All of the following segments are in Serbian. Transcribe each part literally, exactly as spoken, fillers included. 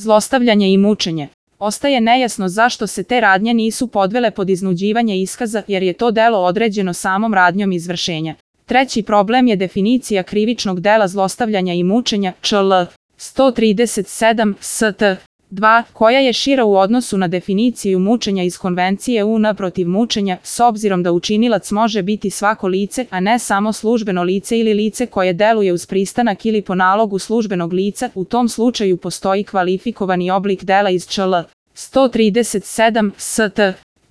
Zlostavljanje i mučenje. Ostaje nejasno zašto se te radnje nisu podvele pod iznuđivanje iskaza, jer je to delo određeno samom radnjom izvršenja. Treći problem je definicija krivičnog dela zlostavljanja i mučenja, čl. sto trideset sedam st. dva, koja je šira u odnosu na definiciju mučenja iz Konvencije U N protiv mučenja, s obzirom da učinilac može biti svako lice, a ne samo službeno lice ili lice koje deluje uz pristanak ili po nalogu službenog lica. U tom slučaju postoji kvalifikovani oblik dela iz čl. sto trideset sedam st.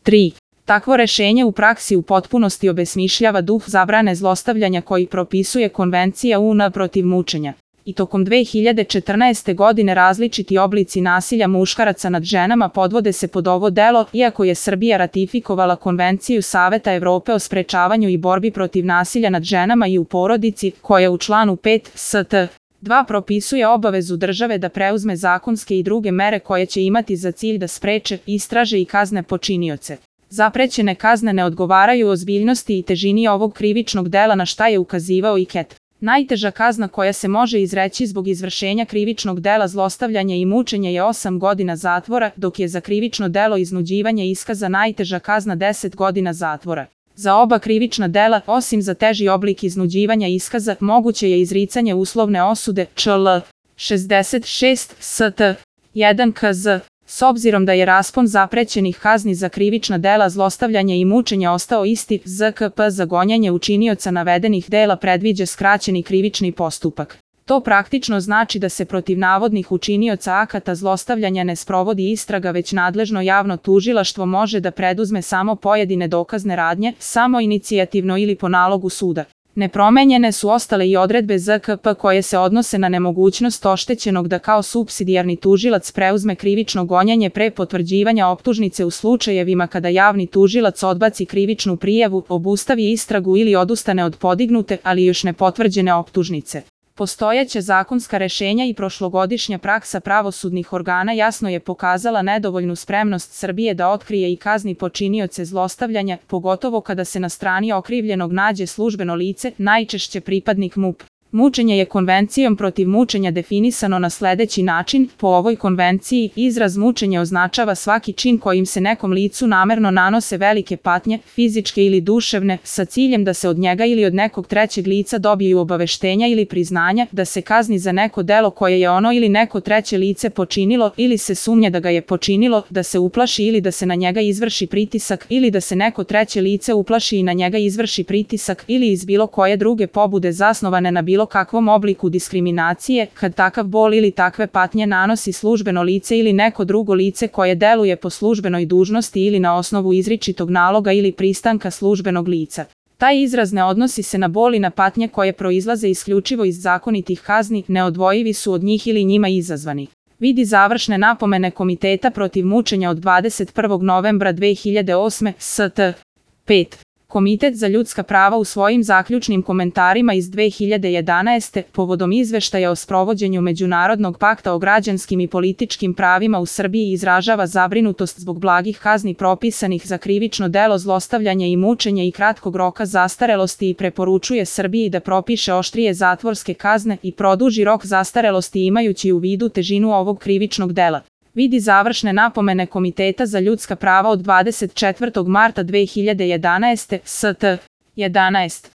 tri. Takvo rešenje u praksi u potpunosti obesmišljava duh zabrane zlostavljanja koji propisuje Konvencija U N protiv mučenja. I tokom dve hiljade četrnaeste. godine različiti oblici nasilja muškaraca nad ženama podvode se pod ovo delo, iako je Srbija ratifikovala Konvenciju Saveta Evrope o sprečavanju i borbi protiv nasilja nad ženama i u porodici, koja u članu pet st. dva propisuje obavezu države da preuzme zakonske i druge mere koje će imati za cilj da spreče, istraže i kazne počinioce. Zaprećene kazne ne odgovaraju ozbiljnosti i težini ovog krivičnog dela, na šta je ukazivao i Ket. Najteža kazna koja se može izreći zbog izvršenja krivičnog dela zlostavljanja i mučenja je osam godina zatvora, dok je za krivično delo iznuđivanja iskaza najteža kazna deset godina zatvora. Za oba krivična dela, osim za teži oblik iznuđivanja iskaza, moguće je izricanje uslovne osude, čl. šezdeset šest st. jedan K Z. S obzirom da je raspon zaprećenih kazni za krivična dela zlostavljanja i mučenja ostao isti, Z K P za gonjenje učinioca navedenih dela predviđa skraćeni krivični postupak. To praktično znači da se protiv navodnih učinioca akata zlostavljanja ne sprovodi istraga, već nadležno javno tužilaštvo može da preduzme samo pojedine dokazne radnje, samoinicijativno ili po nalogu suda. Nepromenjene su ostale i odredbe Z K P koje se odnose na nemogućnost oštećenog da kao supsidijarni tužilac preuzme krivično gonjenje pre potvrđivanja optužnice u slučajevima kada javni tužilac odbaci krivičnu prijavu, obustavi istragu ili odustane od podignute, ali još ne potvrđene optužnice. Postojeća zakonska rešenja i prošlogodišnja praksa pravosudnih organa jasno je pokazala nedovoljnu spremnost Srbije da otkrije i kazni počinioce zlostavljanja, pogotovo kada se na strani okrivljenog nađe službeno lice, najčešće pripadnik M U P. Mučenje je Konvencijom protiv mučenja definisano na sledeći način. Po ovoj konvenciji, izraz mučenje označava svaki čin kojim se nekom licu namerno nanose velike patnje, fizičke ili duševne, sa ciljem da se od njega ili od nekog trećeg lica dobiju obaveštenja ili priznanja, da se kazni za neko delo koje je ono ili neko treće lice počinilo ili se sumnja da ga je počinilo, da se uplaši ili da se na njega izvrši pritisak ili da se neko treće lice uplaši i na njega izvrši pritisak ili iz bilo koje druge pobude zasnovane na bilo kakvom obliku diskriminacije, kad takav bol ili takve patnje nanosi službeno lice ili neko drugo lice koje deluje po službenoj dužnosti ili na osnovu izričitog naloga ili pristanka službenog lica. Taj izraz ne odnosi se na bol i na patnje koje proizlaze isključivo iz zakonitih kazni, neodvojivi su od njih ili njima izazvani. Vidi završne napomene Komiteta protiv mučenja od dvadeset prvog novembra dve hiljade osme. st. pet. Komitet za ljudska prava u svojim zaključnim komentarima iz dve hiljade jedanaeste. povodom izveštaja o sprovođenju Međunarodnog pakta o građanskim i političkim pravima u Srbiji izražava zabrinutost zbog blagih kazni propisanih za krivično delo zlostavljanja i mučenja i kratkog roka zastarelosti i preporučuje Srbiji da propiše oštrije zatvorske kazne i produži rok zastarelosti imajući u vidu težinu ovog krivičnog dela. Vidi završne napomene Komiteta za ljudska prava od dvadeset četvrtog marta dve hiljade jedanaeste. st. jedanaest.